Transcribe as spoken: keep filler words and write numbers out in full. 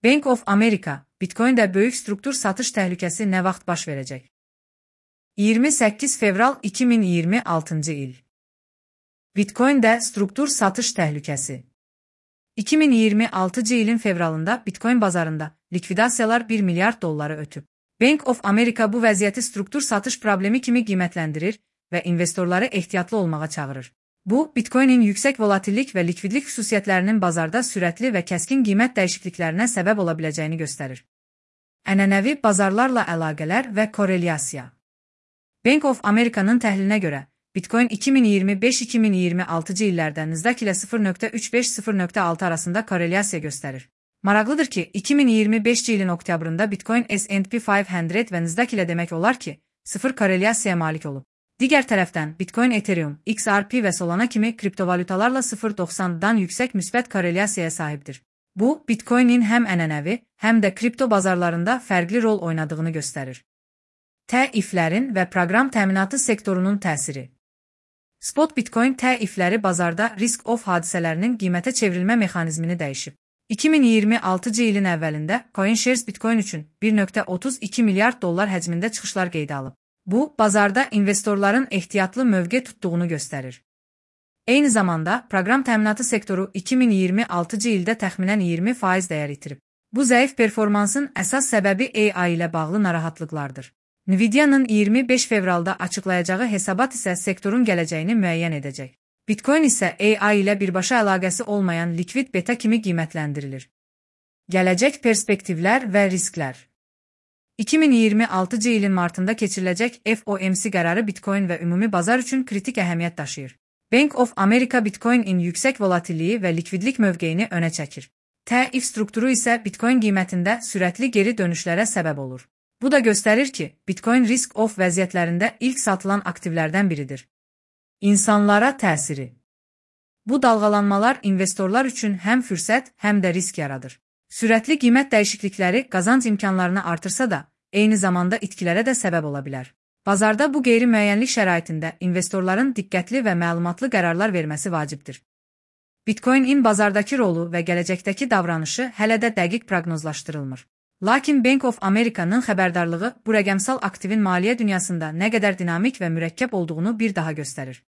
Bank of America, Bitcoin'də böyük struktur satış təhlükəsi nə vaxt baş verəcək? iyirmi səkkiz fevral iki min iyirmi altıncı il. Bitcoin'də struktur satış təhlükəsi. iki min iyirmi altıncı ilin fevralında Bitcoin bazarında likvidasiyalar bir milyard dolları ötüb. Bank of America bu vəziyyəti struktur satış problemi kimi qiymətləndirir və investorları ehtiyatlı olmağa çağırır. Bu, Bitcoin'in yüksək volatillik və likvidlik xüsusiyyətlərinin bazarda sürətli və kəskin qiymət dəyişikliklərinə səbəb ola biləcəyini göstərir. Ənənəvi bazarlarla əlaqələr və korelyasiya. Bank of America'nın təhlilinə görə, Bitcoin iki min iyirmi beş iki min iyirmi altıncı illərdə Nasdaq ilə sıfır nöqtə üç beş sıfır nöqtə altı arasında korelyasiya göstərir. Maraqlıdır ki, iki min iyirmi beşinci ilin oktyabrında Bitcoin S and P beş yüz və Nasdaq ilə demək olar ki, sıfır korelyasiyaya malik olub. Digər tərəfdən, Bitcoin, Ethereum, X R P və Solana kimi kriptovalutalarla sıfır nöqtə doxsandan yüksək müsbət korelyasiyaya sahibdir. Bu, Bitcoin'in həm ənənəvi, həm də kripto bazarlarında fərqli rol oynadığını göstərir. Təiflərin və proqram təminatı sektorunun təsiri. Spot Bitcoin təifləri bazarda risk-off hadisələrinin qiymətə çevrilmə mexanizmini dəyişib. iki min iyirmi altıncı ilin əvvəlində CoinShares Bitcoin üçün bir nöqtə otuz iki milyard dollar həcmində çıxışlar qeydə alıb. Bu, bazarda investorların ehtiyatlı mövqe tutduğunu göstərir. Eyni zamanda, proqram təminatı sektoru iki min iyirmi altıncı ildə təxminən iyirmi faiz dəyər itirib. Bu zəif performansın əsas səbəbi A I ilə bağlı narahatlıqlardır. Nvidia'nın iyirmi beş fevralda açıqlayacağı hesabat isə sektorun gələcəyini müəyyən edəcək. Bitcoin isə A I ilə birbaşa əlaqəsi olmayan likvid beta kimi qiymətləndirilir. Gələcək perspektivlər və risklər. iki min iyirmi altıncı ilin martında keçiriləcək F O M C qərarı Bitcoin və ümumi bazar üçün kritik əhəmiyyət daşıyır. Bank of America Bitcoin-in yüksək volatilliyi və likvidlik mövqeyini önə çəkir. Təif strukturu isə Bitcoin qiymətində sürətli geri dönüşlərə səbəb olur. Bu da göstərir ki, Bitcoin risk-off vəziyyətlərində ilk satılan aktivlərdən biridir. İnsanlara təsiri. Bu dalğalanmalar investorlar üçün həm fürsət, həm də risk yaradır. Sürətli qiymət dəyişiklikləri qazanc imkanlarını artırsa da, eyni zamanda itkilərə də səbəb ola bilər. Bazarda bu qeyri-müəyyənlik şəraitində investorların diqqətli və məlumatlı qərarlar verməsi vacibdir. Bitcoin-in bazardakı rolu və gələcəkdəki davranışı hələ də dəqiq proqnozlaşdırılmır. Lakin Bank of America'nın xəbərdarlığı bu rəqəmsal aktivin maliyyə dünyasında nə qədər dinamik və mürəkkəb olduğunu bir daha göstərir.